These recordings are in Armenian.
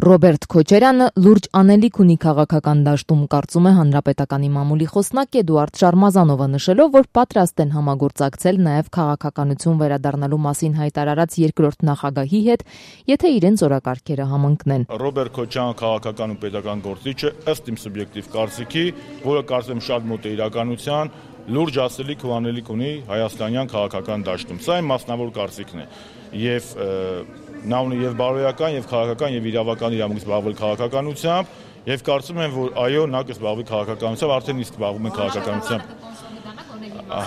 Ռոբերտ Քոչարյանը լուրջ անելիք ունի քաղաքական դաշտում, կարծում է Հանրապետականի մամուլի խոսնակ Էդուարդ Շարմազանովը, նշելով, որ պատրաստ են համագործակցել նաև քաղաքականություն վերադառնալու մասին հայտարարած երկրորդ նախագահի հետ, եթե իրենց օրակարգերը համընկնեն։ Ռոբերտ Քոչարյանը քաղաքական ու պետական գործիչ է, ըստ իմ սուբյեկտիվ կարծիքի, որը կարծեմ շատ մոտ է իրականության, լուրջ ասելիք ու անելիք ունի հայաստանյան քաղաքական դաշտում։ Սա իմ մասնավոր կարծիքն է։ Եվ նա ունի եւ բարոյական, եւ քաղաքական, եւ իրավական իրավունք զբաղվել քաղաքականությամբ, եւ կարծում եմ, որ այո, նա կզբաղվի քաղաքականությամբ, արդեն իսկ զբաղվում է քաղաքականությամբ։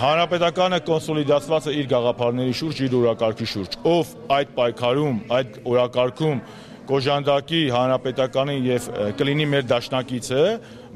Հանրապետականը կոնսոլիդացված է իր գաղափարների շուրջ, իր օրակարգի շուրջ։ Ով այդ պայքարում, այդ օրակարգում կոժանդակի Հանրապետականին եւ կլինի մեր դաշնակիցը,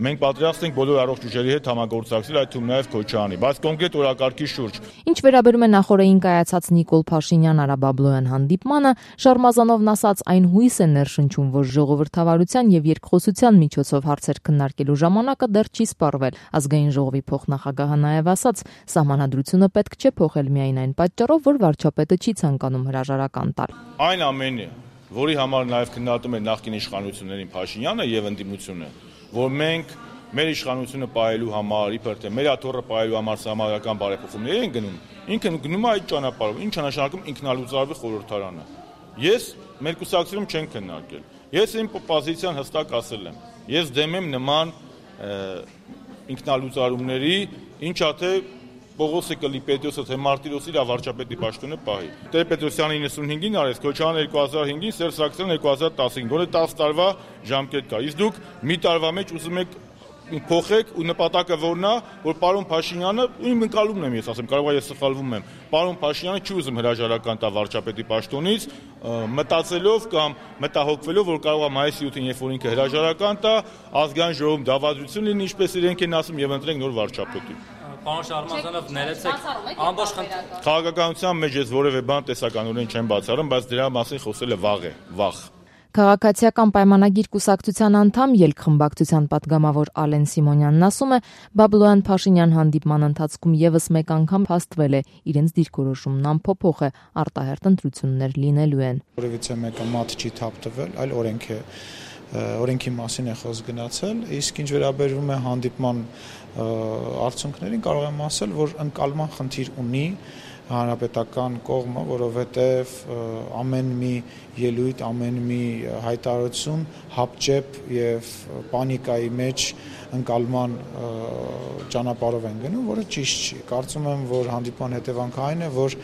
մենք պատրաստ ենք բոլոր առողջ ուժերի հետ համագործակցել, այդ թվում նաեւ Քոչարյանի, բայց կոնկրետ օրակարգի շուրջ։ Ինչ վերաբերում է նախորդին կայացած Նիկոլ Փաշինյան-Արա Բաբլոյան հանդիպմանը, Շարմազանովն ասաց, այն հույս է ներշնչում, որ ժողովրդավարության եւ երկխոսության միջոցով հարցեր քննարկելու ժամանակը դեռ չի սպառվել։ Ազգային ժողովի փոխնախագահը նաեւ ասաց, սահմանադրությունը պետք չէ փոխել միայն այն պատճառով, որ վարչապետը չի ցանկանում հրաժարական տալ։ Այն ամենը, որի համար նաև քննադատում է նախկին իշխանություններին Փաշինյանը եւ ընդդիմությունը, որ մենք մեր իշխանությունը պահելու համար, իբր թե մեր աթոռը պահելու համար համարական բարեփոխումներ են գնում, ինքը գնում է այդ ճանապարհով, ինչ նշանակում ինքնալուծարվի խորհրդարանը։ Ես մեր կուսակցությունում չենք քննարկել։ Ես իմ պոզիցիան հստակ ասել եմ։ Ես դեմ եմ նման ինքնալուծարումների, ինչա թե Պողոս Կլիպետոսը թե Մարտիրոսի իր վարչապետի պաշտոնը պահի։ Տեր-Պետրոսյանը 95-ին արեց, Քոչարյանը 2005-ին, Սերժ Սարգսյանը 2015-ին, որը 10 տարվա ժամկետ կա։ Իսկ դուք մի տարվա մեջ ուզում եք փոխեք ու նպատակը որն է, որ պարոն Փաշինյանը, իմ ընկալումն եմ ես ասեմ, կարող է ես սխալվում եմ, պարոն Փաշինյանը չի ուզում հրաժարական տա վարչապետի պաշտոնից, մտածելով կամ մտահոգվելով, որ կարող է մայիսի 7-ին, երբ որ ինքը հրաժարական տա, ազգային ժողովում դավադրություն լինի, ինչպես իրենք են ասում, եւ ընտրենք նոր վարչապետի։ Պարոն Շարմազանով, ներեցեք ամբողջ քաղաքականության մեջ ես որևէ բան տեսականորեն չեմ բացառում, բայց դրա մասին խոսելը վաղ։ Քաղաքացիական պայմանագիր կուսակցության անդամ ելքխմբակցության պատգամավոր Ալեն Սիմոնյանն ասում է, Բաբլոյան-Փաշինյան հանդիպման ընթացքում եւս մեկ անգամ փաստվել է, իրենց դիրքորոշումն անփոփոխ է, արտահերթ ընտրություններ լինելու են։ Որևիցե մեկը մատ չի թափ տվել, այլ օրենքի մասին է խոսք գնացել, իսկ ինչ վերաբերում է հանդիպման արդյունքներին, կարող եմ ասել, որ ընկալման խնդիր ունի հանրապետական կողմը, որովհետև ամեն մի ելույթ, ամեն մի հայտարարություն հապճեպ եւ պանիկայի մեջ ընկալման ճանապարհով են գնում, որը ճիշտ չի։ Կարծում եմ, որ հանդիպման հետևանքը այն է, որ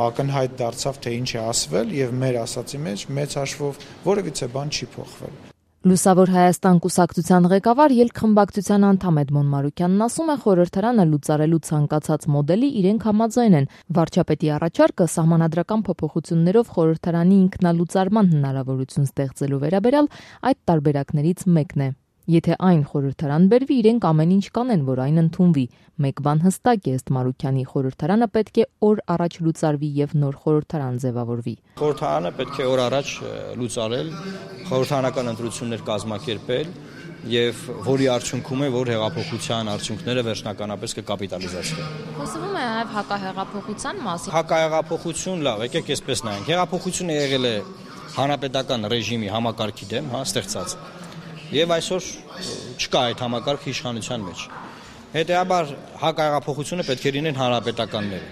ակնհայտ դարձավ, թե ինչ է ասվել եւ մեր ասացի մեջ մեծ հաշվով որևիցե բան չի փոխվել։ Լուսավոր Հայաստան կուսակցության ղեկավար ելքխմբակցության անդամ Էդմոն Մարուկյանն ասում է, խորհրդարանը լուծարելու ցանկացած մոդելի իրենք համաձայն են։ Վարչապետի առաջարկը սահմանադրական փոփոխություններով խորհրդարանի ինքնալուծարման հնարավորություն ստեղծելու վերաբերյալ այդ տարբերակներից մեկն է։ Եթե այն խորհրդարան բերվի, իրենք ամեն ինչ կանեն, որ այն ընդունվի։ Մեկ բան հստակ է, ըստ Մարուկյանի, խորհրդարանը պետք է օր առաջ լուծարվի եւ նոր խորհրդարան ձևավորվի։ Խորհրդարանը պետք է օր առաջ լուծարել, խորհրդարանական ընտրություններ կազմակերպել եւ որի արդյունքում է, որ հեղափոխության արդյունքները վերջնականապես կկապիտալիզացվեն։ Խոսվում է նաեւ հակահեղափոխության մասին։ Հակահեղափոխություն, լավ, եկեք այսպես նայենք։ Հեղափոխությունը եղել է հանրապետական ռեժիմի համակարգի դեմ, ստեղծած։ Եվ այսօր չկա այդ համակարգը իշխանության մեջ։ Հետեւաբար հակահեղափոխությունը պետք է լինեն հանրապետականները։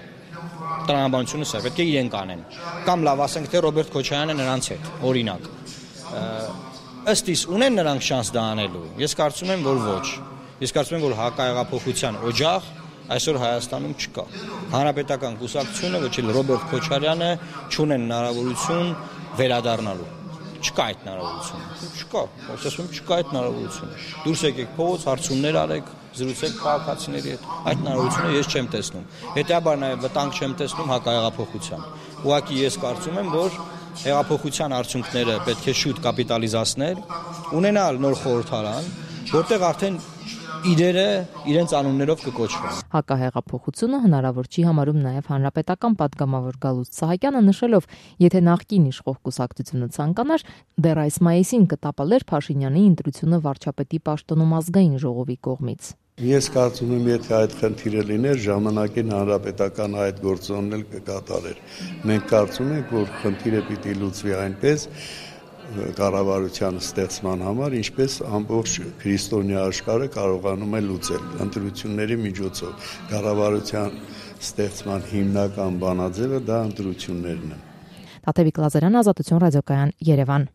Տրամաբանությունը սա պետք է իրենք անեն։ Կամ լավ ասենք թե Ռոբերտ Քոչարյանը նրանց հետ, օրինակ։ Ըստ իս ունեն նրանք շանս դա անելու։ Ես կարծում եմ, որ ոչ։ Ես կարծում եմ, որ հակահեղափոխության օջախ այսօր Հայաստանում չկա։ Հանրապետական կուսակցությունը, ոչ էլ Ռոբերտ Քոչարյանը չունեն հնարավորություն վերադառնալու։ Չկա այդ հնարավորությունը։ Չկա, ասում եմ, չկա այդ հնարավորությունը։ Դուրս եկեք փողոց, հարցումներ արեք, զրուցեք քաղաքացիների հետ։ Այդ հնարավորությունը ես չեմ տեսնում։ Հետեւաբար նաև վտանգ չեմ տեսնում հակահեղափոխության։ Ուղղակի ես կարծում եմ, որ հեղափոխության արդյունքները պետք է շուտ կապիտալիզացնել, ունենալ նոր խորհրդարան, որտեղ արդեն իրերը իրենց անուններով կկոչվեն։ Հակահեղափոխությունը հնարավոր չի համարում նաև հանրապետական պատգամավոր Գալուստ Սահակյանը, նշելով, եթե նախկին իշխող կուսակցությունը ցանկանար, դեռ այս մայիսին կտապալեր Փաշինյանի ընտրությունը վարչապետի պաշտոնում ազգային ժողովի կողմից։ Ես կարծում եմ, եթե այդ խնդիրը լիներ, ժամանակին հանրապետական այդ գործոնն էլ կկատարեր։ Մենք կարծում ենք, որ խնդիրը պիտի լուծվի այնպես, կառավարության ստեղծման համար, ինչպես ամբողջ քրիստոնյա աշխարհը կարողանում է լուծել ընտրությունների միջոցով։ Կառավարության ստեղծման հիմնական բանաձևը դա ընտրություններն են։ Տաթևիկ Լազարյան, Ազատություն ռադիոկայան, Երևան։